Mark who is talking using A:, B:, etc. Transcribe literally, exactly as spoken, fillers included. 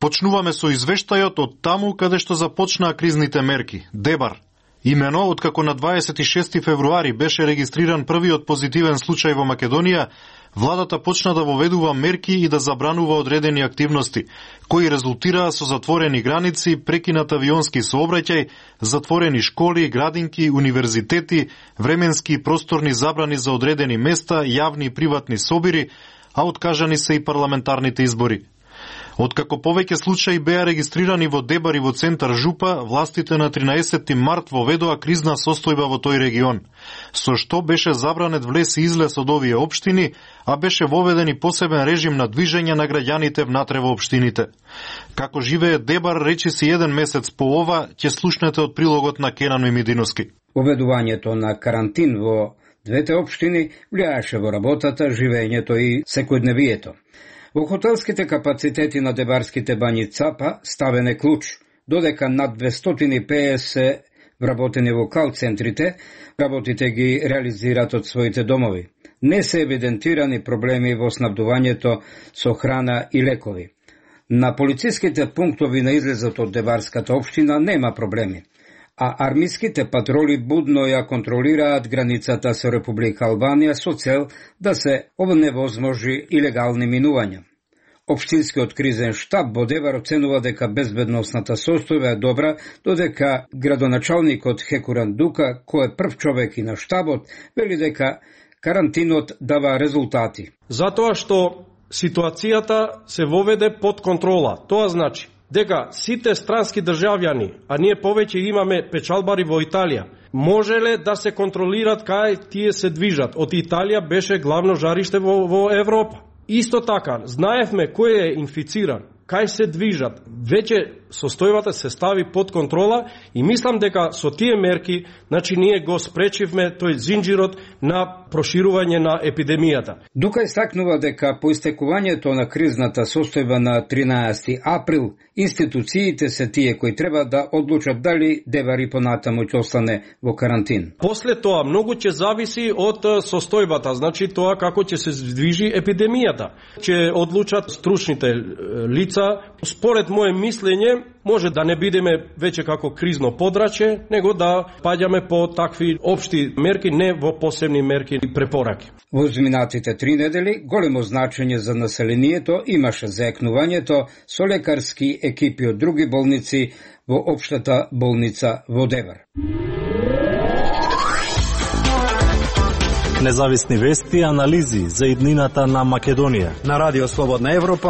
A: Почнуваме со извештајот од таму каде што започнаа кризните мерки. Дебар. Имено, откако на дваесет и шести февруари беше регистриран првиот позитивен случај во Македонија, владата почна да воведува мерки и да забранува одредени активности, кои резултираа со затворени граници, прекинат авионски сообраќај, затворени школи, градинки, универзитети, временски и просторни забрани за одредени места, јавни и приватни собири, а откажани се и парламентарните избори. Откако повеќе случаи беа регистрирани во Дебар и во центар Жупа, властите на тринаесетти март воведоа кризна состојба во тој регион, со што беше забранет влез и излез од овие општини, а беше воведен и посебен режим на движење на граѓаните внатре во општините. Како живее Дебар, речиси еден месец по ова, ќе слушнете од прилогот на Кенан Мимидиновски.
B: Воведувањето на карантин во двете општини влијаеше во работата, живењето и секојдневието. Во хотелските капацитети на дебарските бањи Цапа ставен е клуч, додека над двестоти и педесет вработени во кал-центрите, работите ги реализираат од своите домови. Не се евидентирани проблеми во снабдувањето со храна и лекови. На полициските пунктови на излезот од Дебарската општина нема проблеми, а армиските патроли будно ја контролираат границата со Република Албанија со цел да се оневозможи илегални минувања. Општинскиот кризен штаб во Дебар оценува дека безбедносната состојба е добра, додека градоначалникот Хекуран Дука, кој е прв човек и на штабот, вели дека карантинот дава резултати.
C: Затоа што ситуацијата се воведе под контрола. Тоа значи дека сите странски државјани, а ние повеќе имаме печалбари во Италија, можеле да се контролират кај тие се движат. Од Италија беше главно жариште во, во Европа. Исто така, знаевме кој е инфициран, кај се движат. Веќе состојбата се стави под контрола и мислам дека со тие мерки, значи ние го спречивме тој зинџирот на проширување на епидемијата.
B: Дука истакнува дека по истекувањето на кризната состојба на тринаесети април, институциите се тие кои треба да одлучат дали Дебар и понатаму ќе остане во карантин.
C: После тоа многу ќе зависи од состојбата, значи тоа како ќе се движи епидемијата. Ќе одлучат стручните лица. Според моје мислење, може да не бидеме веќе како кризно подрачје, него да паѓаме по такви општи мерки, не во посебни мерки и препораки.
B: Во изминатите три недели големо значење за населението имаше заекнувањето со лекарски екипи од други болници во општата болница во Дебар.
D: Независни вести и анализи за иднината на Македонија.
E: На Радио Слободна Европа